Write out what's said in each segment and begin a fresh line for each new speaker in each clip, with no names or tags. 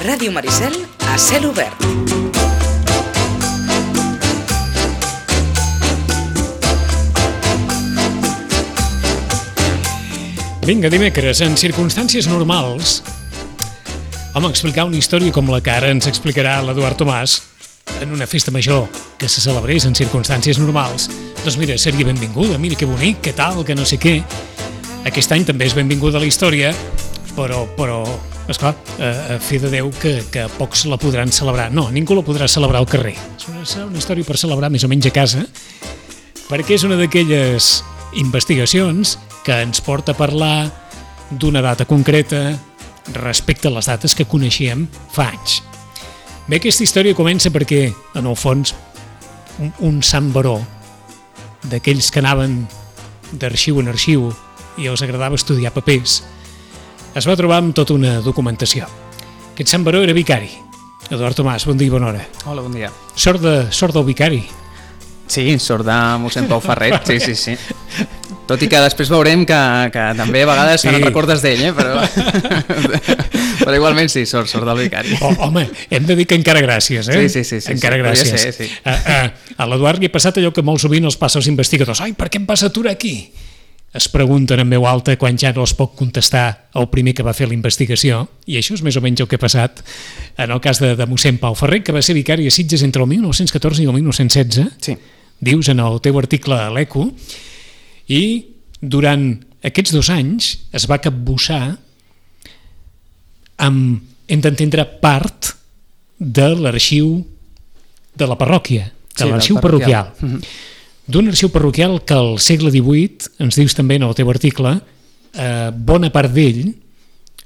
Ràdio Maricel a cel obert.
Vinga, dimecres, en circumstàncies normals, vam explicar una història com la que ara ens explicarà l'Eduard Tomàs en una festa major que se celebrés en circumstàncies normals. Doncs mira, seria benvinguda, mira que bonic, que tal, que no sé què. Aquest any també és benvinguda la història, però esclar, a fi de Déu que pocs la podran celebrar. No, ningú la podrà celebrar al carrer. Serà una història per celebrar més o menys a casa, perquè és una d'aquelles investigacions que ens porta a parlar d'una data concreta respecte a les dates que coneixíem fa anys. Bé, aquesta història comença perquè, en el fons, un Sant Baró, d'aquells que anaven d'arxiu en arxiu i els agradava estudiar papers, es va trobar amb tota una documentació. Aquest Sant Baró era vicari. Eduard Tomàs, bon dia i bona hora.
Hola, bon dia.
Sort del vicari.
Sí, sort de mossèn Pau Ferret, sí. Tot i que després veurem que també a vegades sí. Te'n recordes d'ell, però igualment sí, sort del vicari.
Home, hem de dir que encara gràcies, eh?
Sí.
Encara gràcies.
Ser, sí.
A l'Eduard li ha passat allò que molt sovint els passa als investigadors. Ai, per què em vas aturar aquí? Es pregunten en veu alta quan ja no els pot contestar el primer que va fer la investigació, i això és més o menys el que ha passat en el cas de mossèn Pau Ferret, que va ser vicari a Sitges entre el 1914 i el 1916,
sí. Dius
en el teu article a l'ECO, i durant aquests 2 anys es va capbussar amb, hem d'entendre, part de l'arxiu de la parròquia, de l'arxiu parroquial. D'un arxiu parroquial que al segle XVIII, ens dius també en el teu article, bona part d'ell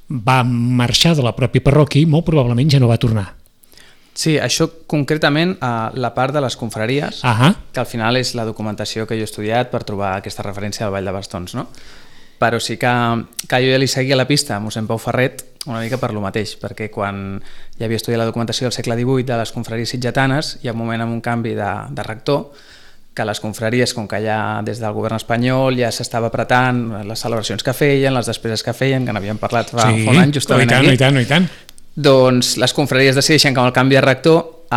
va marxar de la pròpia parròquia i molt probablement ja no va tornar.
Sí, això concretament a la part de les confraries, que al final és la documentació que jo he estudiat per trobar aquesta referència al Vall de Bastons, no? Però sí que jo ja li seguia la pista a mossèn Pau Ferret una mica per lo mateix, perquè quan ja havia estudiat la documentació del segle XVIII de les confraries sitgetanes, hi ha un moment amb un canvi de rector, que les confraries, com que ja des del govern espanyol ja s'estava apretant les celebracions que feien, les despeses que feien, que n'havíem parlat fa un any justament aquí.
I tant.
Doncs les confraries decideixen que amb el canvi de rector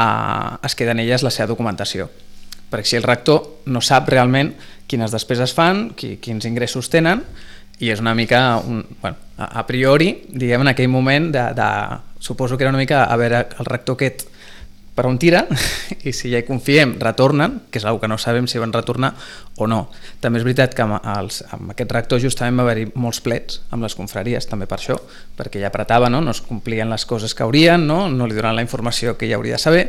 es queden elles la seva documentació, perquè si el rector no sap realment quines despeses fan, quins ingressos tenen, i és una mica, a priori, diguem, en aquell moment, suposo que era una mica a veure el rector aquest per on tira, i si ja hi confiem retornen, que és una cosa que no sabem si van retornar o no. També és veritat que amb aquest rector justament va haver-hi molts plets amb les confraries, també per això, perquè ja apretava, no es complien les coses que haurien, no li donaven la informació que ja hauria de saber,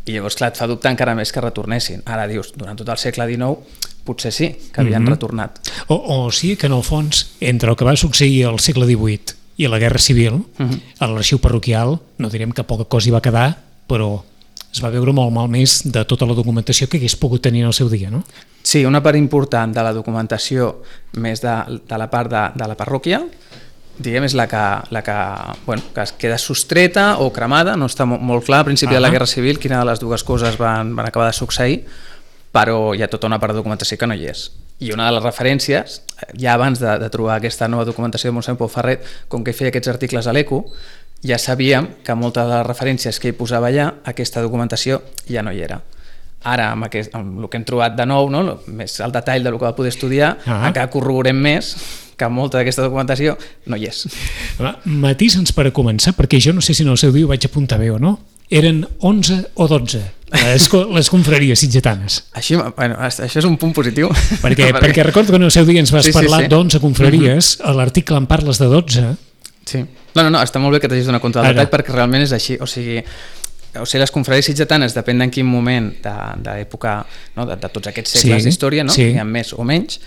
i llavors clar, et fa dubtar encara més que retornessin. Ara dius, durant tot el segle XIX potser sí que havien retornat.
O sigui que en el fons, entre el que va succeir al segle XVIII i la Guerra Civil, a l'arxiu parroquial, no direm que poca cosa hi va quedar, però es va veure molt malmès de tota la documentació que hagués pogut tenir en el seu dia, no?
Sí, una part important de la documentació, més de la part de la parròquia, diguem, és la que es queda sostreta o cremada, no està molt clar al principi de la Guerra Civil quina de les dues coses van acabar de succeir, però hi ha tota una part de documentació que no hi és. I una de les referències, ja abans de trobar aquesta nova documentació de mossèn Pau Ferret, com que feia aquests articles a l'ECO, ja sabíem que moltes de les referències que hi posava allà, aquesta documentació ja no hi era. Ara, amb el que hem trobat de nou, més el detall del que va poder estudiar, encara corroborem més que molta d'aquesta documentació no hi és.
Matisa'ns per a començar, perquè jo no sé si en el seu dia ho vaig apuntar bé o no, eren 11 o 12 les confraries sitgetanes.
Això és un punt positiu.
Perquè recordo que en el seu dia ens vas parlar d'11 confraries, a l'article en parles de 12.
Sí. No, està molt bé que t'hagis donat compte del detall perquè realment és així, o sigui, les confraries sitgetanes depèn en quin moment d'època, de tots aquests segles d'història, hi ha més o menys,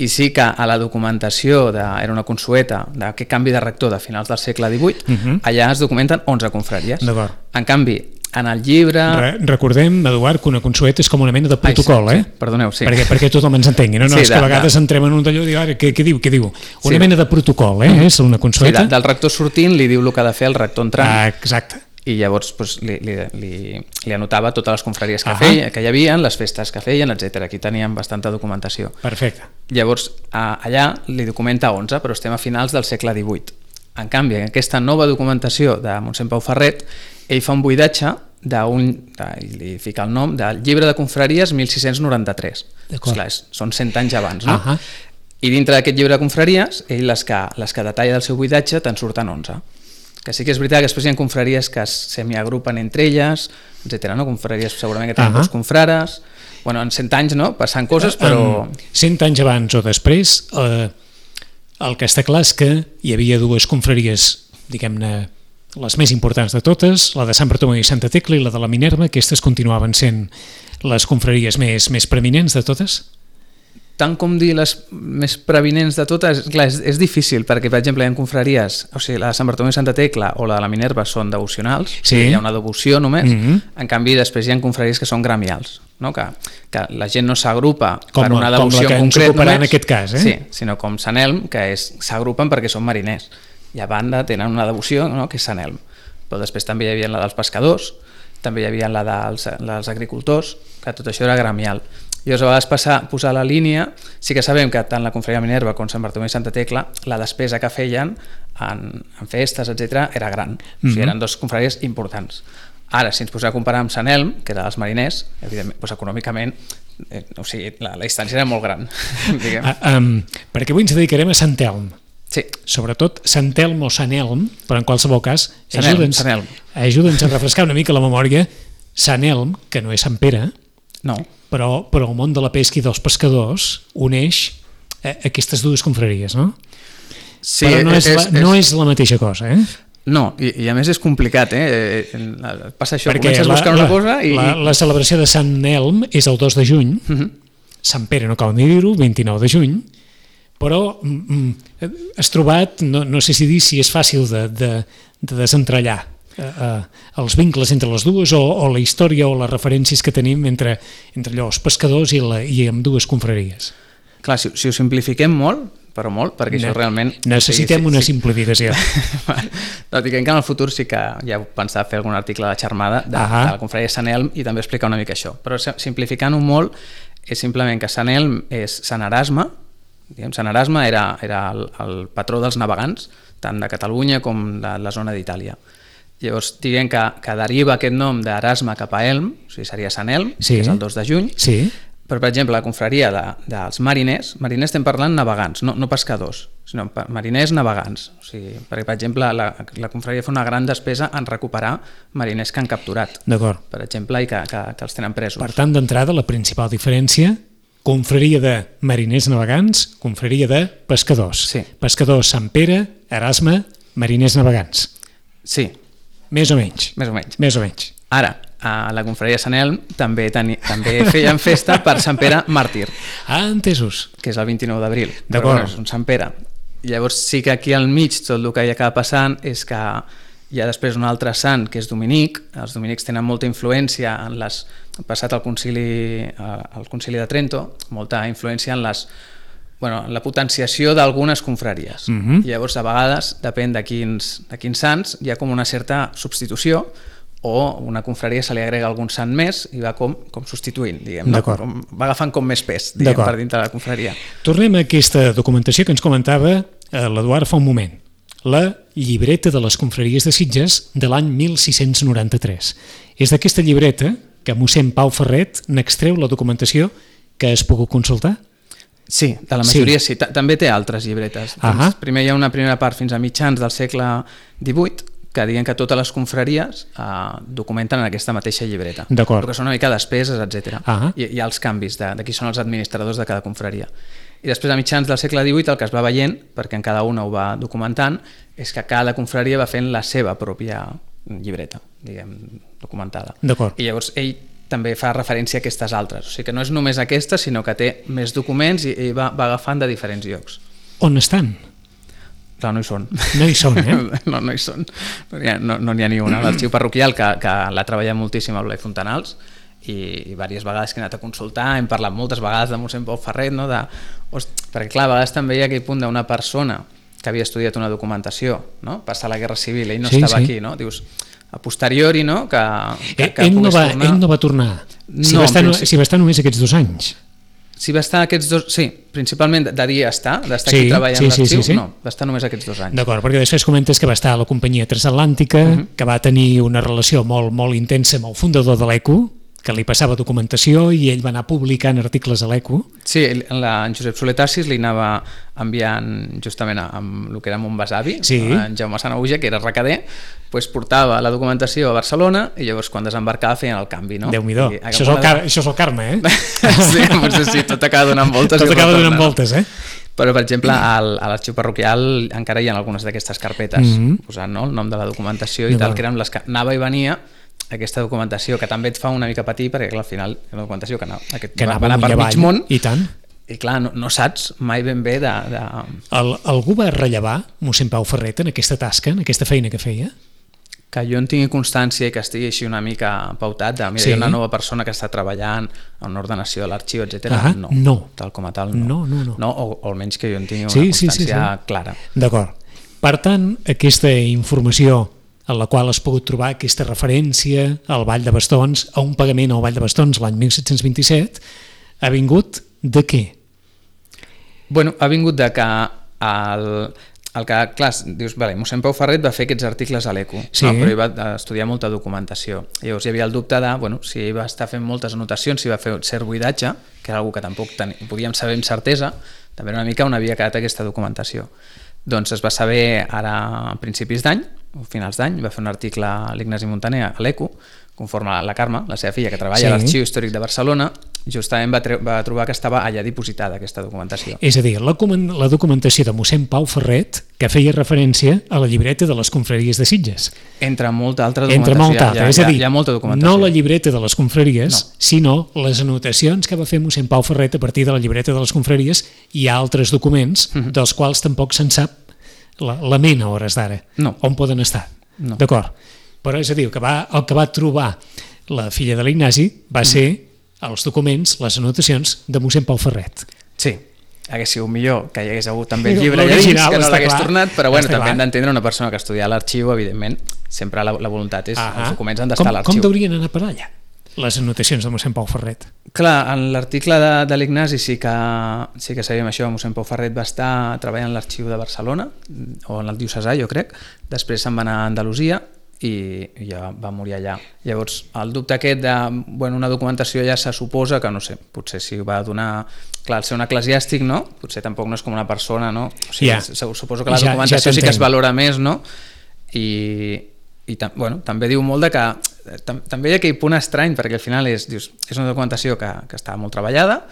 i sí que a la documentació era una consueta d'aquest canvi de rector de finals del segle XVIII, allà es documenten 11 confraries. En canvi, en el llibre...
Recordem, Eduard, que una consueta és com una mena de protocol,
Perdoneu, sí.
Perquè tothom ens entengui, no? És que a vegades entrem en un d'allò i diu, què diu? Una mena de protocol, és una consueta.
Sí, del rector sortint li diu el que ha de fer el rector entrant.
Exacte.
I llavors li anotava totes les confraries que hi havia, les festes que feien, etc. Aquí teníem bastanta documentació.
Perfecte.
Llavors, allà li documenta 11, però estem a finals del segle XVIII. En canvi, en aquesta nova documentació de Mossèn Pau Ferret, ell fa un buidatge li fica el nom del Llibre de Confraries 1693. Esclar, són 100 anys abans, no? I dintre d'aquest llibre de confraries, ell les que detalla del seu buidatge te'n surten 11. Que sí que és veritat que després hi ha confraries que es semiagrupen entre elles, etc. No? Confraries segurament que tenen dos confrares. Bueno, en 100 anys no? Passant coses, però...
100 anys abans o després, el que està clar és que hi havia dues confraries, diguem-ne, les més importants de totes, la de Sant Bartomeu i Santa Tecla i la de la Minerva. Aquestes continuaven sent les confraries més preeminents de totes?
Tant com dir les més preeminents de totes, clar, és difícil, perquè, per exemple, hi ha confraries, o sigui, la de Sant Bartomeu i Santa Tecla o la de la Minerva són devocionals, hi ha una devoció només, en canvi després hi ha confraries que són gremials, no? que la gent no s'agrupa per una devoció en concret només,
en aquest cas,
sí, sinó com Sant Elm, que s'agrupen perquè són mariners, i a banda tenen una devoció, no? Que és Sant Elm, però després també hi havia la dels pescadors, també hi havia la dels agricultors, que tot això era gremial. I a vegades posar la línia, sí que sabem que tant la confraria Minerva com Sant Bartomeu i Santa Tecla, la despesa que feien en festes, etc., era gran. O sigui, eren dos confraries importants. Ara, si ens posem a comparar amb Sant Elm, que era dels mariners, evidentment, doncs econòmicament, o sigui, la distància era molt gran.
Perquè avui ens dedicarem a Sant Elm.
Sí.
Sobretot Sant Elm o Sant Elm, però en qualsevol cas,
Sant Elm.
Ajuda'ns a refrescar una mica la memòria. Sant Elm, que no és Sant Pere,
no,
però el món de la pesca i dels pescadors uneix aquestes dues confraries, no?
Sí,
però no és la mateixa cosa, eh?
No, i a més és complicat, passa això, perquè comences a buscar una cosa i...
La celebració de Sant Elm és el 2 de juny, Sant Pere no cal ni dir-ho, 29 de juny, però has trobat, no sé si dir si és fàcil de desentrellar els vincles entre les dues o la història o les referències que tenim entre allò, els pescadors i amb dues confraries.
Clar, si ho simplifiquem molt, però molt, perquè això realment...
Necessitem una simplificació.
No, diguem que en el futur sí que ja heu pensat fer algun article de xarmada de la confraria Sant Elm i també explicar una mica això, però simplificant-ho molt és simplement que Sant Elm és Sant Erasme. Sant Erasme era el patró dels navegants, tant de Catalunya com de la zona d'Itàlia. Llavors, diguem que deriva aquest nom d'Erasme cap a Elm, o sigui, seria Sant Elm, que és el 2 de juny, però, per exemple, la confraria dels mariners estem parlant navegants, no pescadors, sinó mariners navegants. O sigui, perquè, per exemple, la confraria fa una gran despesa en recuperar mariners que han capturat, per exemple, i que els tenen presos.
Per tant, d'entrada, la principal diferència, confraria de mariners navegants, confraria de pescadors. Pescadors Sant Pere, Erasme, mariners navegants.
Sí.
Més o menys. Més o menys.
Ara, a la confraria Sant Elm també feien festa per Sant Pere Màrtir.
Entesos.
Que és el 29 d'abril. D'acord. Però és un Sant Pere. Llavors sí que aquí al mig tot el que hi acaba passant és que hi ha després un altre sant que és Dominic. Els dominics tenen molta influència en passat al concili de Trento, molta influència en la potenciació d'algunes confraries. Llavors, a vegades, depèn de quins sants, hi ha com una certa substitució o una confraria se li agrega algun sant més i va com substituint, diguem. Va agafant com més pes, diguem, per dintre de la confraria.
Tornem a aquesta documentació que ens comentava l'Eduard fa un moment. La llibreta de les confraries de Sitges de l'any 1693. És d'aquesta llibreta que mossèn Pau Ferret n'extreu la documentació que has pogut consultar?
Sí, de la majoria sí. També té altres llibretes. Primer hi ha una primera part fins a mitjans del segle XVIII que diuen que totes les confraries documenten en aquesta mateixa llibreta.
D'acord.
Que són una mica despeses, etc. I els canvis de qui són els administradors de cada confraria. I després a mitjans del segle XVIII el que es va veient, perquè en cada una ho va documentant, és que cada confraria va fent la seva pròpia llibreta, diguem, documentada.
D'acord.
I llavors ell també fa referència a aquestes altres. O sigui que no és només aquesta, sinó que té més documents i va agafant de diferents llocs.
On estan?
Clar, no hi són.
No hi són, eh?
No hi són. No n'hi ha ni una. L'arxiu parroquial, que l'ha treballat moltíssim a Blai Fontanals, i diverses vegades que he anat a consultar, hem parlat moltes vegades de mossèn Pau Ferret, no? Perquè clar, a vegades també hi ha aquell punt d'una persona que havia estudiat una documentació, no? Passa la Guerra Civil, ell no estava aquí, no? Dius, a posteriori, no?
Ell no va tornar. Si va estar només aquests 2 anys.
Si va estar aquests 2... Sí, principalment de dia d'estar aquí treballant l'arxiu, no, va estar només aquests 2 anys.
D'acord, perquè després comentes que va estar a la companyia Transatlàntica, que va tenir una relació molt, molt intensa amb el fundador de l'ECO, que li passava documentació i ell va anar publicant articles a l'ECO.
Sí, en Josep Soler Tassis li anava enviant justament amb el que era mon besavi, en Jaume Sanaüja, que era RKD, doncs portava la documentació a Barcelona i llavors quan desembarcava feien el canvi, no?
Déu-n'hi-do, això és el karma,
Sí, potser sí, tot acaba donant voltes.
Tot acaba donant voltes,
Però, per exemple, a l'arxiu parroquial encara hi ha algunes d'aquestes carpetes posant el nom de la documentació i tal, que eren les que anava i venia aquesta documentació, que també et fa una mica patir perquè al final la documentació que anava per mig món
i tant.
I clar, no saps mai ben bé de...
Algú va rellevar mossèn Pau Ferret en aquesta tasca, en aquesta feina que feia?
Que jo en tingui constància i que estigui així una mica pautat de mira, hi ha una nova persona que està treballant en una ordenació de l'arxiu, etc. No, tal com a tal no. O almenys que jo en tingui una constància clara.
D'acord. Per tant, aquesta informació en la qual has pogut trobar aquesta referència al Vall de Bastons, a un pagament al Vall de Bastons l'any 1727, ha vingut de què?
Bueno, ha vingut de que el que, clar, dius, vale, mossèn Pau Ferret va fer aquests articles a l'ECO, però ell va estudiar molta documentació. Llavors hi havia el dubte de, si ell va estar fent moltes anotacions, si va fer cert buidatge, que era una que tampoc podíem saber amb certesa, també una mica on havia quedat aquesta documentació. Doncs es va saber ara a principis d'any, o finals d'any, va fer un article a l'Ignasi Montaner a l'ECO, conforme la Carme, la seva filla, que treballa a l'Arxiu Històric de Barcelona, justament va trobar que estava allà dipositada aquesta documentació.
És a dir, la documentació de mossèn Pau Ferret, que feia referència a la llibreta de les confraries de Sitges.
Entre molta altra documentació.
És a dir,
hi ha molta documentació.
No la llibreta de les confraries, sinó les anotacions que va fer mossèn Pau Ferret a partir de la llibreta de les confraries. Hi ha altres documents dels quals tampoc se'n sap la mena a hores d'ara, on poden estar. D'acord. Però és a dir, el que va trobar la filla de l'Ignasi va ser els documents, les anotacions de mossèn Pau Ferret.
Sí, hagués sigut millor que hi hagués hagut també el llibre allà dins, que no l'hagués tornat, però bueno, també hem d'entendre una persona que estudia a l'arxiu, evidentment, sempre la voluntat és els documents han d'estar a l'arxiu.
Com deurien anar per allà, les anotacions de mossèn Pau Ferret?
Clar, en l'article de l'Ignasi sí que sabíem això, mossèn Pau Ferret va estar treballant a l'arxiu de Barcelona, o en el diocesà, jo crec, després se'n va anar a Andalusia, i ja va morir allà. Llavors, el dubte aquest de una documentació ja se suposa que, no sé, potser si va donar... Clar, al ser un eclesiàstic, no? Potser tampoc no és com una persona, no? O sigui, suposo que la documentació sí que es valora més, no? I també diu molt de que... També hi ha aquell punt estrany, perquè al final és una documentació que està molt treballada,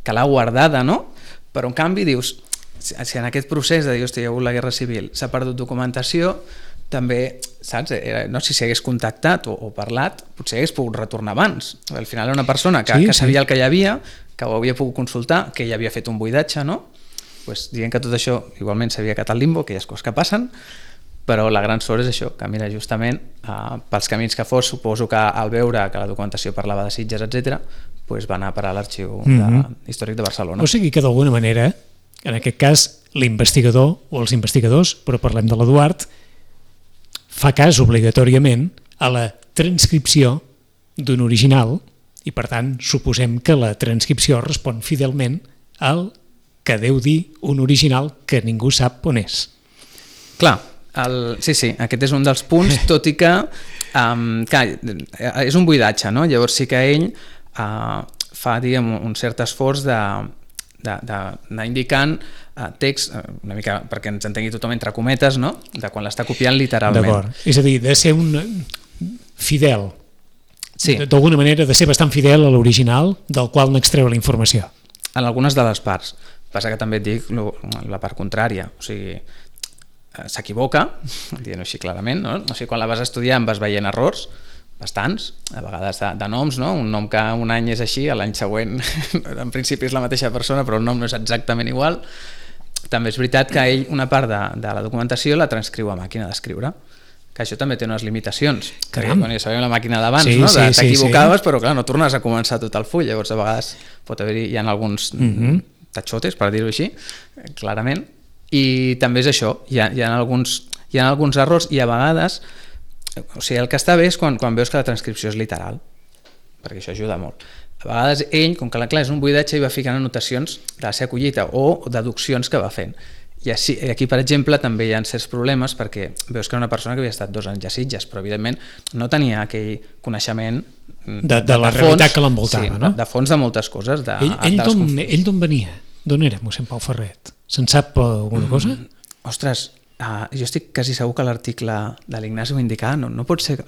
que l'ha guardada, no? Però en canvi dius, si en aquest procés de dir, hòstia, hi ha hagut la Guerra Civil, s'ha perdut documentació, també, saps, no sé si hagués contactat o parlat, potser hagués pogut retornar abans. Al final era una persona que sabia el que hi havia, que ho havia pogut consultar, que ja havia fet un buidatge, no? Dient que tot això igualment s'havia quedat al limbo, que hi ha coses que passen, però la gran sort és això, que mira, justament pels camins que fos, suposo que al veure que la documentació parlava de Sitges, etc., va anar a parar a l'Arxiu Històric de Barcelona.
O sigui que d'alguna manera, en aquest cas, l'investigador o els investigadors, però parlem de l'Eduard, fa cas obligatòriament a la transcripció d'un original i per tant suposem que la transcripció respon fidelment al que deu dir un original que ningú sap on és.
Clar, sí, aquest és un dels punts, tot i que és un buidatge, no? Llavors sí que ell fa, diguem, un cert esforç d'anar indicant text, una mica perquè ens entengui tothom entre cometes, no? De quan l'està copiant literalment.
D'acord, és a dir, de ser un fidel, d'alguna manera de ser bastant fidel a l'original del qual n'extreu la informació.
En algunes de les parts. Passa que també et dic la part contrària, o sigui, s'equivoca, dient-ho així clarament, no? O sigui, quan la vas estudiar vas veient errors, bastants, a vegades de noms, no? Un nom que un any és així, l'any següent en principi és la mateixa persona, però el nom no és exactament igual. També és veritat que ell una part de la documentació la transcriu a màquina d'escriure, que això també té unes limitacions. Ja sabem la màquina d'abans, no? T'equivocaves, però clar, no tornes a començar tot el full, llavors a vegades hi ha alguns tachotes, per dir-ho així, clarament, i també és això, hi ha alguns errors i a vegades, o sigui, el que està bé és quan veus que la transcripció és literal, perquè això ajuda molt. a vegades ell, com que clar, és un buidatge, hi va ficant anotacions de la seva collita o deduccions que va fent. I aquí, per exemple, també hi ha certs problemes perquè veus que era una persona que havia estat 2 anys a Sitges, però evidentment no tenia aquell coneixement
de la realitat que l'envoltava, no?
De fons de moltes coses.
Ell d'on venia? D'on era mossèn Pau Ferret? Se'n sap alguna cosa?
Ostres, jo estic quasi segur que l'article de l'Ignasi ho indicava, no pot ser...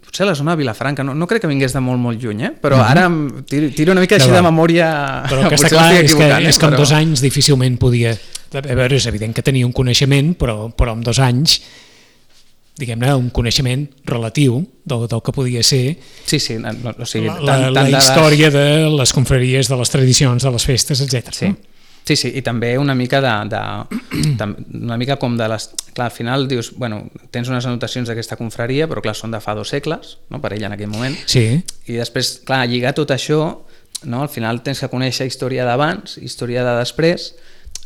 Potser la zona de Vilafranca, no crec que vingués de molt, molt lluny, però ara tiro una mica així de memòria...
Però el que està clar és que en 2 anys difícilment podia... A veure, és evident que tenia un coneixement, però en 2 anys, diguem-ne, un coneixement relatiu del que podia ser la història de les confraries, de les tradicions, de les festes, etc.
Sí, i també una mica una mica com de les... Clar, al final dius, bueno, tens unes anotacions d'aquesta confraria, però clar, són de fa 2 segles, no?, per ell en aquell moment.
Sí.
I després, clar, lligar tot això, no?, al final tens que conèixer història d'abans, història de després,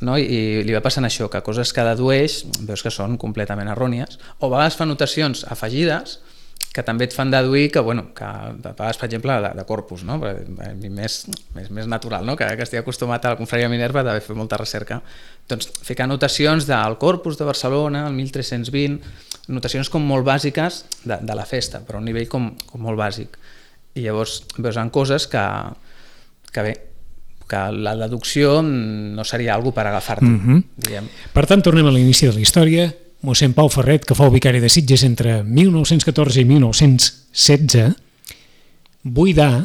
no? I li va passant això, que coses que dedueix veus que són completament errònies, o a vegades fa anotacions afegides que també et fan deduir que, bueno, que a vegades, per exemple, de Corpus, no? Més natural, no? Que estic acostumat a la confraria Minerva d'haver fet molta recerca, doncs ficar anotacions del Corpus de Barcelona, el 1320, notacions com molt bàsiques de la festa, però a un nivell com molt bàsic, i llavors veus en coses que bé, que la deducció no seria algo per agafar-te, diguem.
Per tant, tornem a l'inici de la història. Mossèn Pau Ferret, que fou vicari de Sitges entre 1914 i 1916, buidà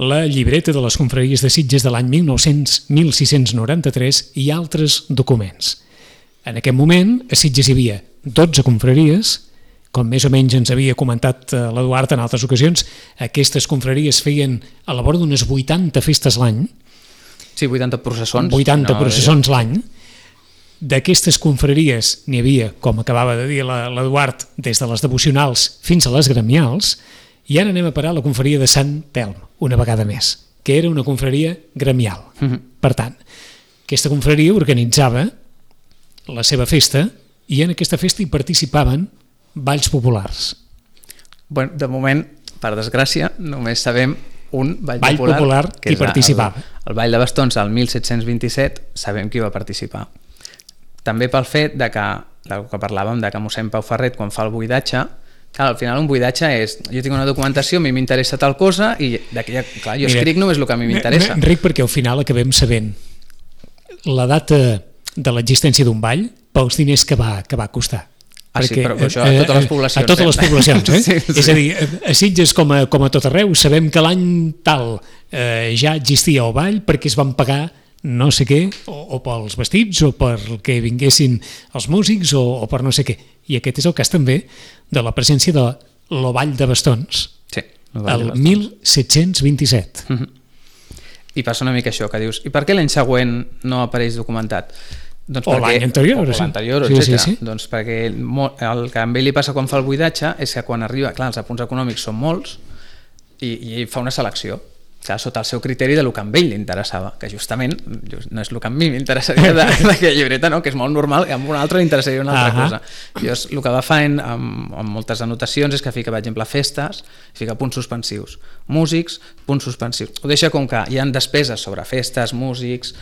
la llibreta de les confraries de Sitges de l'any 1693 i altres documents. En aquest moment, a Sitges hi havia 12 confraries, com més o menys ens havia comentat l'Eduard en altres ocasions. Aquestes confraries feien a la vora d'unes 80 festes l'any.
Sí, 80 processons.
80 processons l'any. D'aquestes confraries n'hi havia, com acabava de dir l'Eduard, des de les devocionals fins a les gremials, i ara anem a parar a la confraria de Sant Telm, una vegada més, que era una confraria gremial. Per tant, aquesta confraria organitzava la seva festa i en aquesta festa hi participaven balls populars.
Bueno, de moment, per desgràcia, només sabem un ball
popular que hi participava.
El ball de bastons del 1727, sabem qui va participar. També pel fet del que parlàvem, de que mossèn Pau Ferret, quan fa el buidatge, clar, al final un buidatge és, jo tinc una documentació, a mi m'interessa tal cosa, i clar, jo escric només el que a mi m'interessa.
Ric, perquè al final acabem sabent la data de l'existència d'un ball pels diners que va costar.
Sí, però això a totes les poblacions.
A totes les poblacions,
Sí.
És a dir, a Sitges, com a tot arreu, sabem que l'any tal ja existia el ball perquè es van pagar no sé què, o pels vestits, o perquè vinguessin els músics, o per no sé què. I aquest és el cas també de la presència de lo ball de bastons, el 1727.
I passa una mica això, que dius, i per què l'any següent no apareix documentat? Doncs
o l'any anterior,
etc. Doncs perquè el que a ell li passa quan fa el buidatge és que quan arriba, clar, els apunts econòmics són molts i fa una selecció, clar, sota el seu criteri de lo que a ell li interessava, que justament no és el que a mi m'interessaria d'aquella llibreta, no? Que és molt normal, i a un altre li interessaria una altra cosa. Llavors, el que va fent amb moltes anotacions és que fica, per exemple, festes, fica punts suspensius, músics, punts suspensius. Ho deixa com que hi ha despeses sobre festes, músics,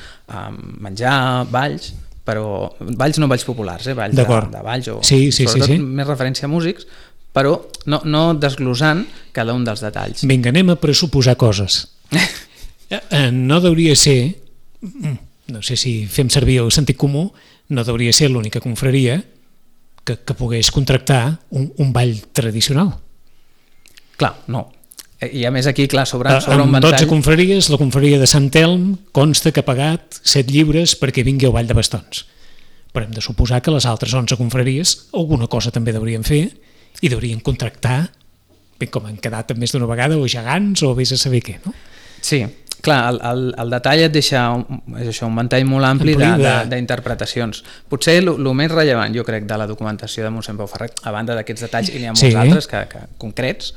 menjar, balls, però balls no balls populars, balls de balls, o sobretot més referència a músics, però no desglosant cada un dels detalls.
Vinga, anem a pressuposar coses. No deuria ser, no sé si fem servir el sentit comú, no deuria ser l'única confraria que pogués contractar un ball tradicional.
Clar, no. I a més aquí, clar, sobre un
ventall... Amb 12
confraries,
confraries, la confraria de Sant Telm consta que ha pagat 7 lliures perquè vingui al ball de bastons. Però hem de suposar que les altres 11 confraries alguna cosa també deurien fer i deurien contractar, com han quedat més d'una vegada, o gegants o vés a saber què, no?
Sí, clar, el detall et deixa un ventall molt ampli d'interpretacions. Potser el més rellevant, jo crec, de la documentació de mossèn Pau Ferret, a banda d'aquests detalls, i n'hi ha molts altres concrets,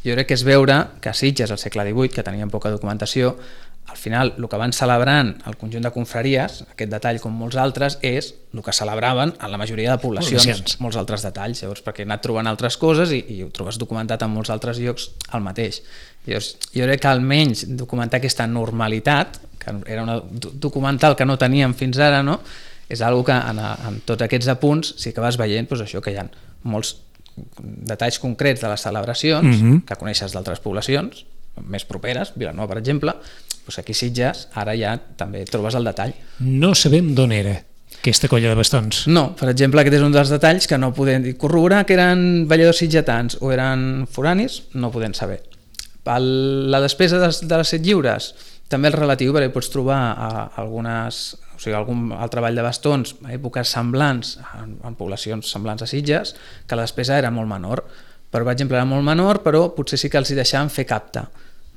jo crec que és veure que a Sitges, al segle XVIII, que tenien poca documentació, al final el que van celebrant el conjunt de confraries, aquest detall com molts altres, és el que celebraven en la majoria de poblacions, molts altres detalls, llavors perquè he anat trobant altres coses i ho trobes documentat en molts altres llocs el mateix. Llavors, jo crec que almenys documentar aquesta normalitat, que era un documental que no teníem fins ara, no? És una que en tots aquests apunts sí que vas veient doncs, això, que hi ha molts detalls concrets de les celebracions que coneixes d'altres poblacions més properes, Vilanova per exemple, doncs aquí a Sitges ara ja també trobes el detall.
No sabem d'on era aquesta colla de bastons.
No, per exemple, aquest és un dels detalls que no podem corroborar que eren balladors sitgetans o eren foranis, no ho podem saber. La despesa de les 7 lliures també és relatiu, perquè pots trobar algun altre ball de bastons a èpoques semblants, en poblacions semblants a Sitges, que la despesa era molt menor. Per exemple, era molt menor, però potser sí que els hi deixaven fer capta,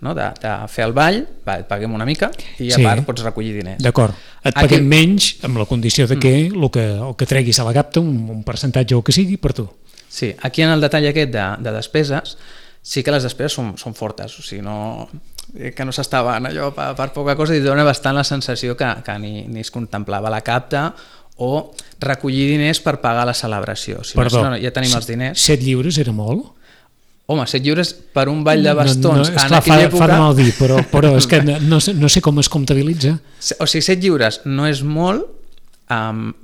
no? De fer el ball, et paguem una mica i a part pots recollir diners.
D'acord, et paguem menys amb la condició de que el que treguis a la capta, un percentatge o que sigui, per tu.
Sí, aquí en el detall aquest de despeses, sí que les despeses són fortes, o sigui, que no s'estaven allò per poca cosa, i dona bastant la sensació que ni es contemplava la capta o recollir diners per pagar la celebració.
Perdó,
ja tenim els diners.
7 lliures era molt?
Home, 7 lliures per un ball de bastons
en aquella època... Fa mal dir, però és que no sé com es comptabilitza.
O sigui, 7 lliures no és molt,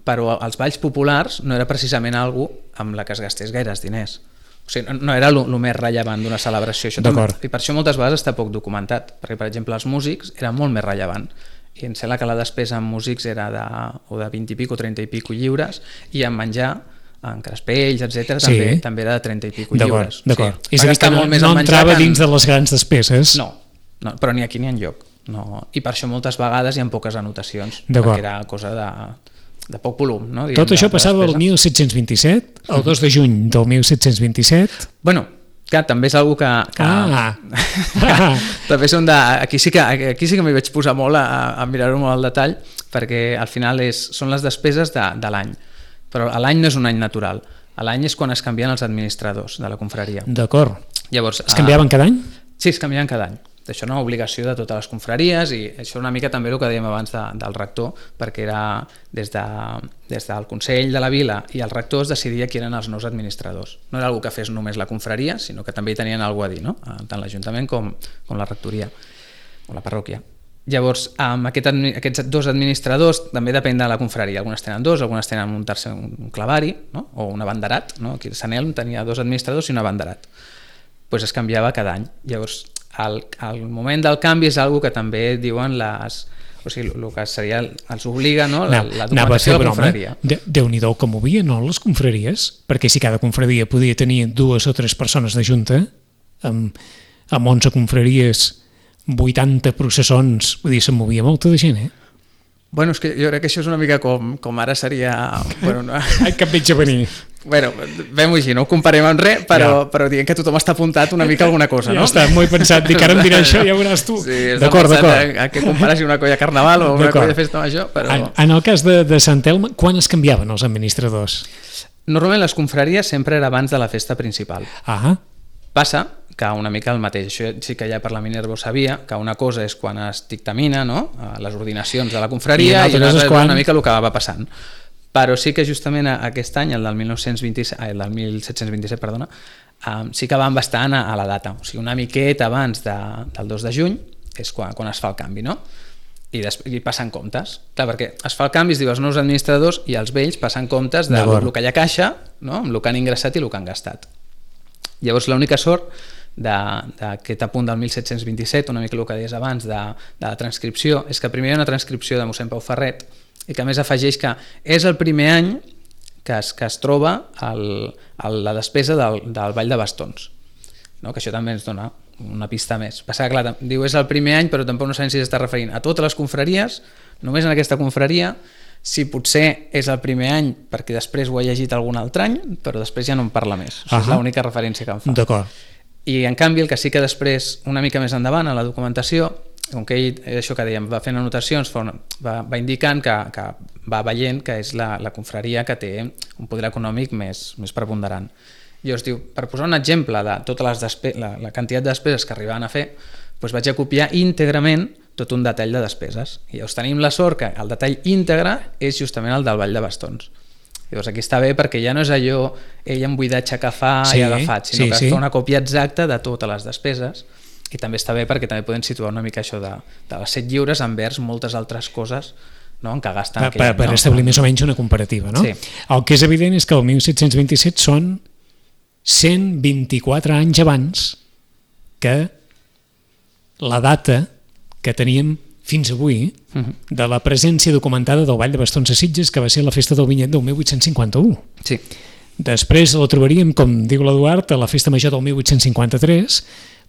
però els balls populars no era precisament algú amb la que es gastés gaires diners. O sigui, no era el més rellevant d'una celebració. I per això moltes vegades està poc documentat, perquè, per exemple, els músics era molt més rellevant. I em sembla que la despesa en músics era de 20 i pico, 30 i pico lliures, i en menjar, en crespells, etc., també era de 30 i pico lliures.
D'acord. És a dir, que no entrava dins de les grans despeses.
No, però ni aquí ni enlloc. I per això moltes vegades hi ha poques anotacions, perquè era cosa de poc volum.
Tot això passava el 1727, el 2 de juny del 1727.
Bueno, clar, també és algo que també són aquí sí que m'hi vaig posar molt a mirar-ho molt al detall, perquè al final són les despeses de l'any, però l'any no és un any natural, l'any és quan es canvien els administradors de la confraria.
D'acord.
Llavors,
es canviaven cada any?
Sí, es canviaven cada any. Això és una obligació de totes les confraries, i això una mica també el que dèiem abans del rector, perquè era des del Consell de la Vila i el rector es decidia qui eren els nous administradors. No era algo que fes només la confraria, sinó que també hi tenien alguna a dir, no? Tant l'Ajuntament com la rectoria o la parròquia. Llavors, aquests dos administradors també depèn de la confraria. Algunes tenen dos, algunes tenen un tercer, un clavari, no? O un abanderat, no? Aquí a Sant Elm tenia 2 administradors i un abanderat. Pues es canviava cada any. Llavors, el moment del canvi és algo que també diuen o sigui, el que seria, els obliga, no? La documentació de la confraria.
Déu-n'hi-do com ho havia, no, les confraries? Perquè si cada confraria podia tenir 2 o 3 persones de junta, amb 11 confraries, 80 processons, vull dir, se'n movia molta de gent,
Bueno, és que jo crec que això és una mica com ara seria...
Ai, que em veig a venir.
Bueno, vam-ho així, no ho comparem amb res, però diguem que tothom està apuntat una mica a alguna cosa, no?
Ja està, m'ho he pensat, dic, ara em dirà això, ja ho veuràs tu.
Sí, d'acord. A què compares una colla carnaval o una colla festa major, però...
En el cas de Sant Elm, quan es canviaven els administradors?
Normalment les confraries sempre era abans de la festa principal. Passa que una mica el mateix, això sí que ja per la Minerva ho sabia, que una cosa és quan es dictamina, no? Les ordinacions de la confraria, i una altra és una mica el que va passant. Però sí que justament aquest any, el del 1727, sí que van bastant a la data, o sigui, una miqueta abans del 2 de juny és quan es fa el canvi, no? I passen comptes. Clar, perquè es fa el canvi, es diu els nous administradors, i els vells passen comptes del que hi ha a caixa, no? Amb el que han ingressat i el que han gastat. Llavors, l'única sort d'aquest apunt del 1727, una mica el que deies abans de la transcripció, és que primer hi ha una transcripció de mossèn Pau Ferret, i que a més afegeix que és el primer any que es troba la despesa del ball de bastons, no? Que això també ens dona una pista més. Passa que, clar, diu és el primer any, però tampoc no sabem si s'està referint a totes les confraries, només en aquesta confraria, si potser és el primer any perquè després ho ha llegit algun altre any, però després ja no en parla més. Això és l'única referència que em fa.
D'acord.
I en canvi el que sí que després, una mica més endavant a la documentació, com que ell, això que dèiem, va fent anotacions, va indicant que va veient que és la confraria que té un poder econòmic més preponderant. Llavors diu, per posar un exemple de tota la quantitat de despeses que arribaven a fer, doncs vaig a copiar íntegrament tot un detall de despeses. I llavors tenim la sort que el detall íntegre és justament el del Ball de Bastons. Llavors aquí està bé perquè ja no és allò amb buidatge que fa i agafat, sinó que fa una còpia exacta de totes les despeses. I també està bé perquè també podem situar una mica això de les 7 lliures envers moltes altres coses, no? En què gasten
per establir més o menys una comparativa, no?
Sí.
El que és evident és que el 1727 són 124 anys abans que la data que teníem fins avui de la presència documentada del Ball de Bastons a Sitges, que va ser la festa del Vinyet del 1851.
Sí.
Després la trobaríem, com diu l'Eduard, a la festa major del 1853,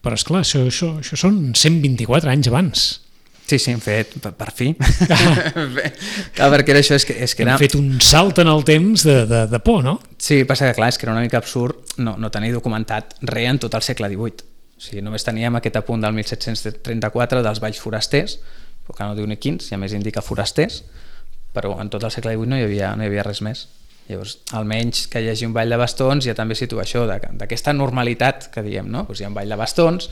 però esclar, això són 124 anys abans.
Sí, hem fet, per fi. Clar, perquè era això, és que era...
Hem fet un salt en el temps de por, no?
Sí, passa que clar, és que era una mica absurd no tenir documentat res en tot el segle XVIII. O sigui, només teníem aquest apunt del 1734 dels balls forasters, que no diu ni quins, i a més indica forasters, però en tot el segle XVIII no hi havia res més. Llavors, almenys que hi hagi un ball de bastons ja també situa això, d'aquesta normalitat que diem, no? Doncs hi ha un ball de bastons,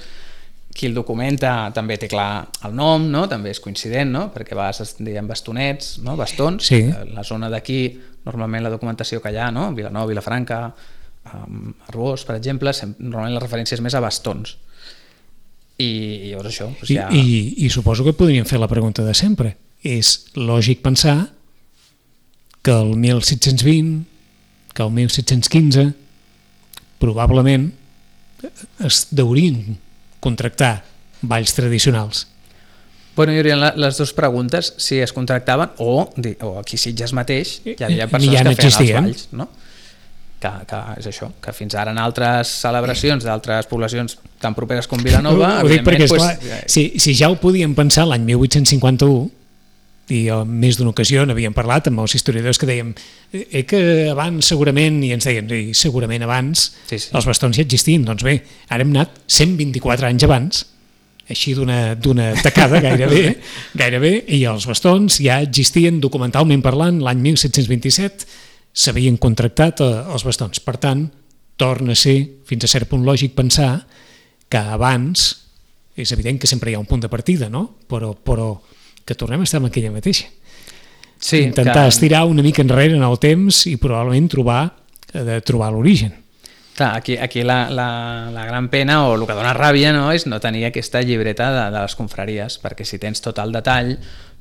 qui el documenta també té clar el nom, no? També és coincident, no? Perquè a vegades es diem bastonets, no? Bastons,
sí.
La zona d'aquí, normalment la documentació que hi ha, no? Vilanova, Vilafranca, Arbós, per exemple, normalment la referència és més a bastons. I llavors això... Doncs ja...
I suposo que podríem fer la pregunta de sempre. És lògic pensar que el 1720, que el 1715, probablement es deurien contractar balls tradicionals.
Bueno, hi haurien les dues preguntes, si es contractaven o aquí Sitges mateix hi havia persones que feien els balls, no? Que és això, que fins ara en altres celebracions d'altres poblacions tan properes com Vilanova,
ho dic perquè, esclar, si ja ho podíem pensar l'any 1851, i en més d'una ocasió n'havíem parlat amb els historiadors que dèiem que abans segurament, i ens deien segurament abans els bastons ja existien. Doncs bé, ara hem anat 124 anys abans, així d'una tacada gairebé, i els bastons ja existien documentalment parlant l'any 1727, s'havien contractat els bastons. Per tant, torna a ser fins a cert punt lògic pensar que abans, és evident que sempre hi ha un punt de partida, no? Però que tornem a estar amb aquella mateixa. Sí, intentar estirar una mica enrere en el temps i probablement trobar l'origen.
Clar, aquí la gran pena o el que dona ràbia, no, és no tenir aquesta llibreta de les confraries, perquè si tens tot el detall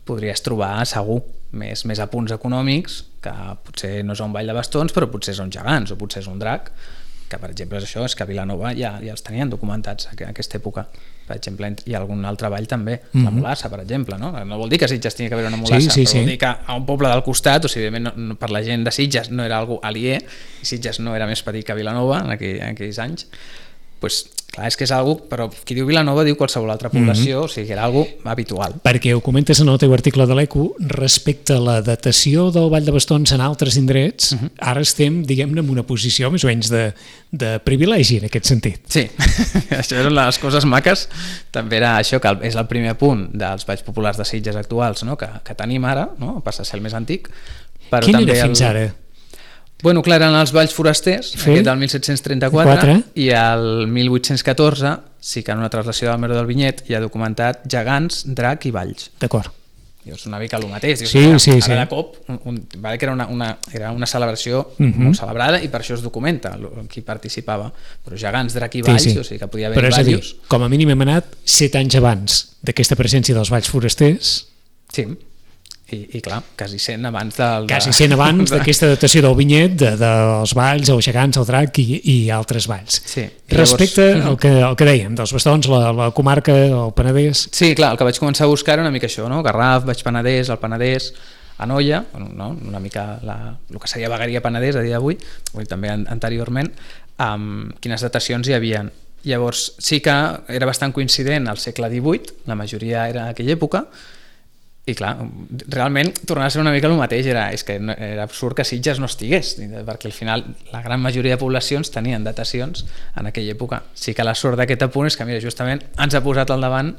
podries trobar segur més apunts econòmics, que potser no és un ball de bastons però potser són gegants o potser és un drac, que per exemple és això, és que a Vilanova ja els tenien documentats en aquesta època. Per exemple, hi ha algun altre ball també, la Mulassa, per exemple, no? No vol dir que a Sitges tingui que haver una Mulassa, però vol dir que a un poble del costat, o sigui, evidentment per la gent de Sitges no era algo aliè, i Sitges no era més petit que Vilanova en aquells anys, doncs clar, és que és algo, però qui diu Vilanova diu qualsevol altra població, o sigui que era algo habitual.
Perquè ho comentes en el teu article de l'ECO, respecte a la datació del Ball de Bastons en altres indrets, ara estem, diguem-ne, en una posició més o menys de privilegi en aquest sentit.
Sí, això eren les coses maques, també era això, que és el primer punt dels balls populars de Sitges actuals, no? que tenim ara, no? Passa a ser el més antic. Però
quin era fins ara?
Bueno, clar, eren els balls forasters, aquest del 1734, i el 1814 sí que en una traslació del Mero del Vinyet hi ha documentat gegants, drac i balls.
D'acord.
És una mica el mateix.
Sí.
Ara de cop, vale que era una celebració molt celebrada i per això es documenta qui participava. Però gegants, drac i balls, o sigui que podia haver
balls. Però és a dir, com a mínim hem anat 7 anys abans d'aquesta presència dels balls forasters.
Sí. I clar, quasi 100 abans
d'aquesta datació del Vinyet, dels balls, els gegants, el drac i altres balls.
Sí.
Respecte al que dèiem, dels bastons, la comarca, el Penedès...
Sí, clar, el que vaig començar a buscar era una mica això, no? Garraf, Baix Penedès, el Penedès, Anoia, no? Una mica el que seria vegueria Penedès a dia d'avui, també anteriorment, quines datacions hi havia. Llavors sí que era bastant coincident al segle XVIII, la majoria era a aquella època, i clar, realment tornava a ser una mica el mateix, és que era absurd que Sitges no estigués, perquè al final la gran majoria de poblacions tenien datacions en aquella època. Sí que la sort d'aquest apunt és que mira, justament ens ha posat al davant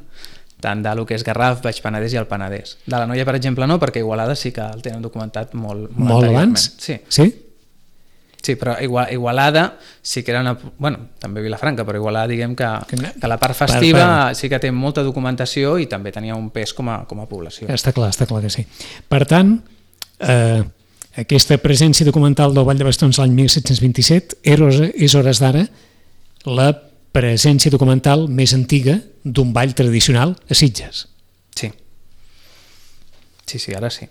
tant del que és Garraf, Baix Penedès i el Penedès. De l'Anoia, per exemple, no, perquè Igualada sí que el tenen documentat molt
abans?
Sí.
Sí?
Sí, però Igualada sí que era una... Bueno, també Vilafranca, però Igualada diguem que la part festiva sí que té molta documentació i també tenia un pes com a població.
Està clar que sí. Per tant, aquesta presència documental del Ball de Bastons l'any 1727 és hores d'ara la presència documental més antiga d'un ball tradicional a Sitges.
Sí. Sí, ara sí.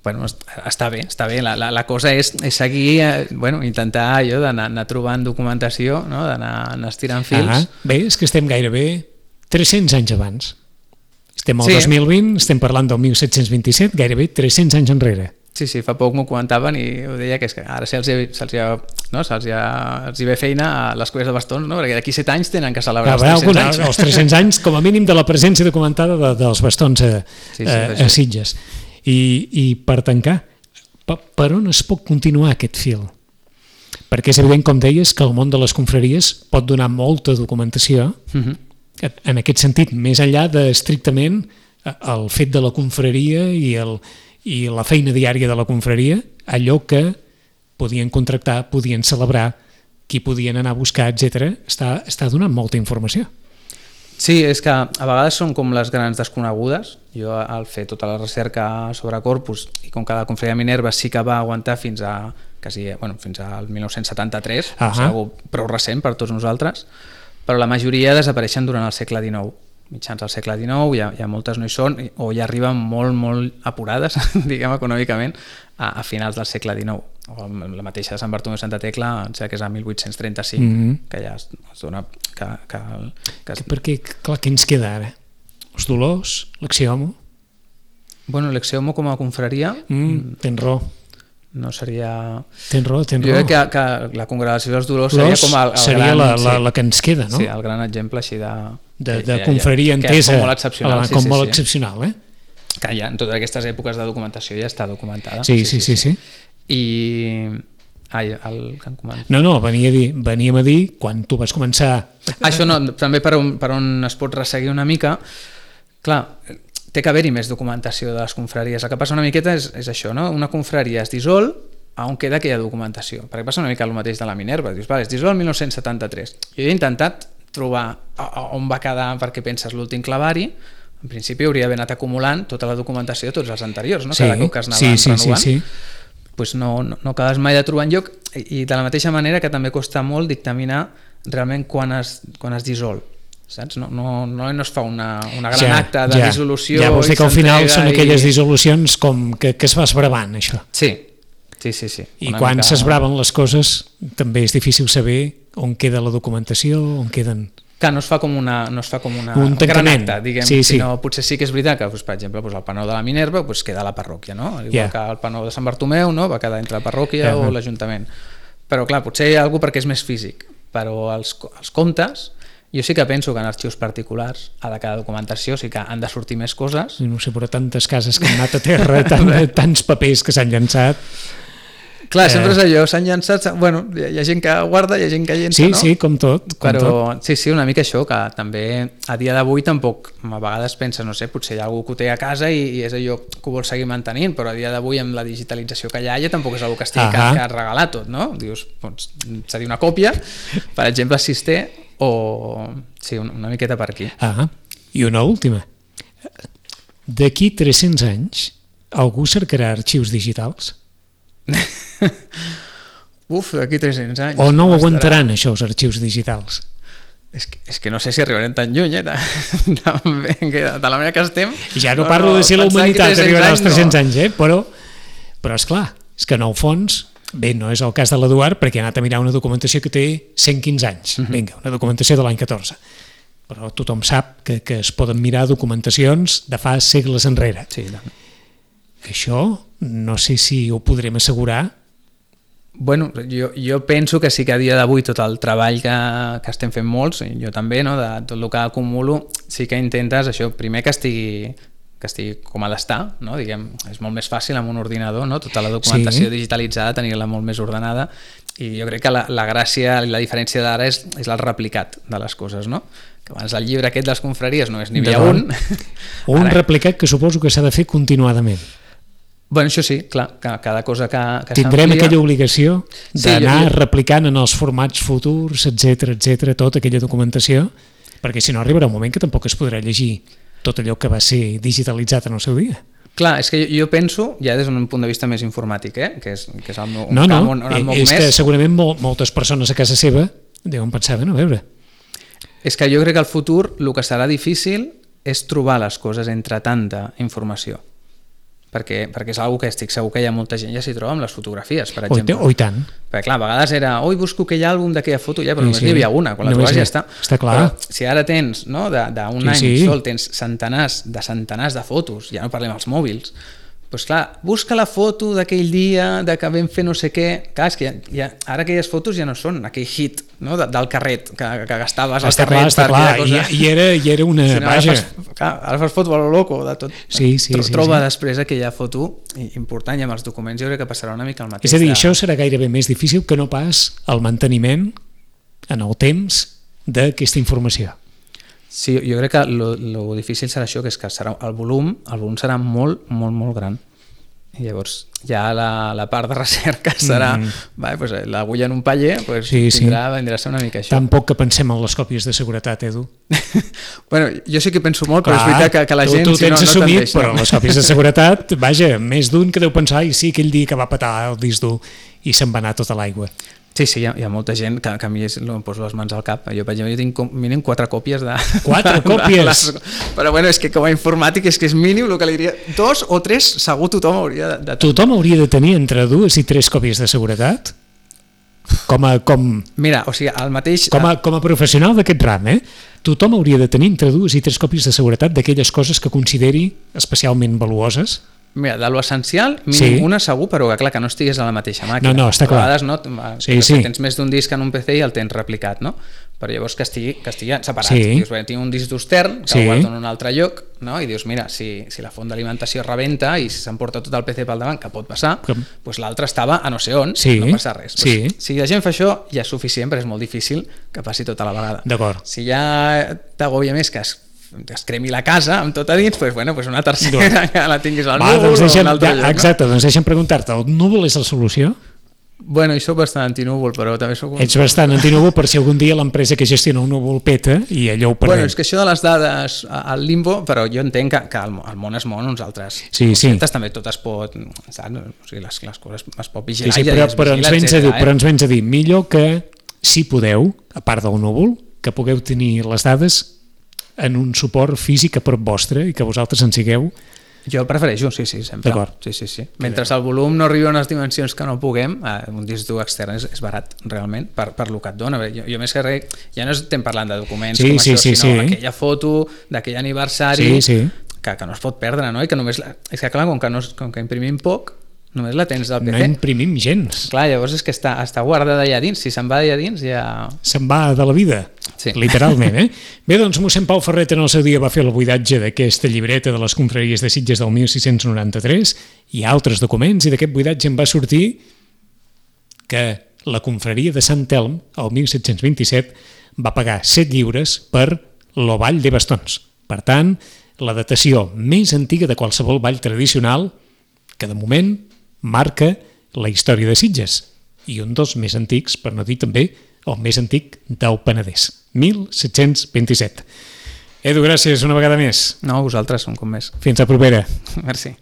Bueno, està bé. La cosa és seguir, intentar allò d'anar trobant documentació, no? d'anar estirant fils.
Bé, és que estem gairebé 300 anys abans. Estem al 2020, estem parlant del 1727, gairebé 300 anys enrere.
Sí, fa poc m'ho comentaven i ho deia que és que ara se'ls hi ve feina a les colles de bastons, no? Perquè d'aquí 7 anys tenen que celebrar els 300 anys.
Els 300 anys, com a mínim, de la presència documentada dels bastons a Sitges. I per tancar, per on es pot continuar aquest fil? Perquè és evident, com deies, que el món de les confraries pot donar molta documentació, en aquest sentit, més enllà de estrictament el fet de la confraria i la feina diària de la confraria, allò que podien contractar, podien celebrar, qui podien anar a buscar, etc. Està donant molta informació.
Sí, és que a vegades són com les grans desconegudes. Jo, al fer tota la recerca sobre Corpus, i com que la confraria de Minerva sí que va aguantar fins al 1973, és algo prou recent per tots nosaltres, però la majoria desapareixen durant el segle XIX. Mitjans del segle XIX, ja moltes no hi són, o ja arriben molt apurades, diguem, econòmicament, a finals del segle XIX. O la mateixa de Sant Bartomeu de Santa Tecla, que és a 1835, que ja es dona...
Perquè, clar, què ens queda ara? Els Dolors, l'Exiomo?
Bueno, l'Exiomo com a confraria...
Tens raó.
No seria...
Tens raó.
Jo crec que la congregació dels Dolors seria com el
seria
gran...
la que ens queda, no?
Sí, el gran exemple així
de confraria entesa com molt excepcional,
que ja en totes aquestes èpoques de documentació ja està documentada.
Sí.
I... el que em comentes?
No, veníem a dir, quan tu vas començar...
Això no, també per on es pot resseguir una mica, clar, té que haver-hi més documentació de les confraries. El que passa una miqueta és això, no? Una confraria es dissol, on queda aquella documentació? Perquè passa una mica el mateix de la Minerva. Dius, vale, es dissol el 1973. Jo he intentat trobar on va quedar, perquè penses, l'últim clavari. En principi hauria d'haver anat acumulant tota la documentació de tots els anteriors, no? Cada cop que es anaven renovant. Sí. Pues no acabes mai de trobar enlloc, i de la mateixa manera que també costa molt dictaminar realment quan es dissol, saps? No es fa una gran acta de dissolució.
Ja vols dir que al final són aquelles dissolucions com que es va esbravant, això.
Sí.
I quan s'esbraven les coses també és difícil saber on queda la documentació, on queden...
Que no es fa com un gran acte, diguem, sinó potser sí que és veritat que, per exemple, el panou de la Minerva queda a la parròquia, no? Igual que el panou de Sant Bartomeu, no? Va quedar entre la parròquia o l'Ajuntament. Però clar, potser hi ha alguna cosa perquè és més físic, però els comptes, jo sí que penso que en arxius particulars ha de quedar documentació, sí que han de sortir més coses.
No sé, però tantes cases que han anat a terra, tants papers que s'han llançat...
Clar, sempre és allò, s'han llançat... Bueno, hi ha gent que guarda, hi ha gent que llença, no?
Sí, com tot.
Sí, una mica això, que també a dia d'avui tampoc, a vegades penses, no sé, potser hi ha algú que ho té a casa i és allò que ho vol seguir mantenint, però a dia d'avui amb la digitalització que hi ha ja tampoc és algú que estigui que regalar tot, no? Dius, pots cedir una còpia, per exemple, si es té, o... Sí, una miqueta per aquí.
I una última. D'aquí 300 anys, algú cercarà arxius digitals?
D'aquí 300 anys.
O no ho aguantaran, això, els arxius digitals?
És que no sé si arribarem tan lluny, de la manera que estem.
Ja no parlo de si la humanitat arribarà als 300 anys, però esclar, és que en el fons, bé, no és el cas de l'Eduard, perquè ha anat a mirar una documentació que té 115 anys, vinga, una documentació de l'any 14, però tothom sap que es poden mirar documentacions de fa segles enrere.
Sí,
això no sé si ho podrem assegurar.
Bueno, jo penso que sí que a dia d'avui tot el treball que estem fent molts, jo també, no, de tot el que acumulo, sí que intentes això, primer que estigui com ha d'estar, no? Diguem, és molt més fàcil amb un ordinador, no? Tota la documentació digitalitzada, tenir-la molt més ordenada, i jo crec que la gràcia i la diferència d'ara és el replicat de les coses, no? Que abans el llibre aquest de les confraries no és n'hi havia un.
Un replicat que suposo que s'ha de fer continuadament.
Bueno, això sí, clar, cada cosa que
Tindrem
s'amplia...
aquella obligació d'anar
jo...
replicant en els formats futurs, etc, tota aquella documentació, perquè si no arribarà un moment que tampoc es podrà llegir tot allò que va ser digitalitzat en el seu dia.
Clar, és que jo penso, ja des d'un punt de vista més informàtic, que és el meu
No,
camp on em moc
és
més.
que segurament moltes persones a casa seva deuen pensar, a veure...
És que jo crec que al futur el que serà difícil és trobar les coses entre tanta informació. Perquè és una que estic segur que hi ha molta gent ja s'hi troba amb les fotografies, per exemple.
Oh, i tant.
Perquè clar, a vegades era, busco aquell àlbum d'aquella foto, ja, però només n'hi havia una, quan la trobes ja està.
Està clar.
Però si ara tens, no, d'un any sol, tens centenars de fotos, ja no parlem als mòbils, doncs clar, busca la foto d'aquell dia, de que vam fer no sé què. Clar, és que ara aquelles fotos ja no són aquell hit, no, del carret, que gastaves al carret.
Està clar, i era una... Vaja.
Ara fas foto a lo loco de tot.
Sí.
Troba després aquella foto important, i amb els documents jo crec que passarà una mica el mateix.
És a dir, això serà gairebé més difícil que no pas el manteniment en el temps d'aquesta informació.
Sí, jo crec que lo difícil serà això, que és que serà el volum serà molt, molt, molt gran. I llavors ja la part de recerca serà l'agulla en un paller, vindrà a ser una mica això.
Tampoc que pensem en les còpies de seguretat, Edu.
Bueno, jo sí que penso molt, però és veritat que la gent...
Tu tens assumit, però les còpies de seguretat, vaja, més d'un que deu pensar, i sí, aquell dia que va petar el disc dur i se'n va anar tota l'aigua.
Sí, hi ha molta gent que a mi em poso les mans al cap. Jo, per exemple, tinc mínim 4 còpies de...
4 còpies?
Però bueno, és que com a informàtic és que és mínim, el que li diria 2 o 3 segur tothom hauria de...
Tothom hauria de tenir entre 2 i 3 còpies de seguretat?
Mira, o sigui, el mateix...
Com a professional d'aquest ram, tothom hauria de tenir entre 2 i 3 còpies de seguretat d'aquelles coses que consideri especialment valuoses?
Mira, de lo essencial, mínim una segur, però clar, que no estigués a la mateixa màquina.
No, està clar.
A vegades tens més d'un disc en un PC i el tens replicat, no? Però llavors que estigui separat. Dius, tinc un disc d'extern que el guardo en un altre lloc, no? I dius, mira, si la font d'alimentació rebenta i s'emporta tot el PC pel davant, que pot passar, doncs l'altre estava a no sé on, no passa res. Si la gent fa això, ja és suficient, però és molt difícil que passi tota la vegada.
D'acord.
Si ja t'agobia més que es cremi la casa amb tot a dins, una tercera que la tinguis al núvol o un altre lloc.
Exacte, doncs deixa'm preguntar-te, el núvol és la solució?
Bueno, jo soc bastant antinúvol, però també soc...
Ets bastant antinúvol per si algun dia l'empresa que gestiona un núvol peta i allò ho perdem.
Bueno, és que això de les dades al limbo, però jo entenc que el món es mou uns altres conceptes, també tot es pot... Saps? O sigui, les coses es pot vigilar.
Però ens vens a dir, millor que, si podeu, a part del núvol, que pugueu tenir les dades en un suport físic a prop vostre i que vosaltres en sigueu.
Jo el prefereixo, sí, sempre.
D'acord.
Sí. Mentre el volum no arribi a unes dimensions que no puguem, un disc dur extern és barat, realment, per lo que et dona. Jo més que res, ja no estem parlant de documents com això, sinó aquella foto d'aquell aniversari que no es pot perdre, no? I que només... És que clar, com que imprimim poc, només la tens del PC.
No imprimim gens.
Clar, llavors és que està guardada allà dins. Si se'n va allà dins ja...
Se'n va de la vida, literalment. Bé, doncs mossèn Pau Ferret en el seu dia va fer el buidatge d'aquesta llibreta de les confraries de Sitges del 1693 i altres documents, i d'aquest buidatge en va sortir que la confraria de Sant Telm, el 1727, va pagar 7 lliures per l'Ovall de Bastons. Per tant, la datació més antiga de qualsevol ball tradicional que de moment marca la història de Sitges, i un dels més antics, per no dir també el més antic del Penedès, 1727. Edu, gràcies una vegada més.
No, vosaltres, un cop més.
Fins a propera.
Merci.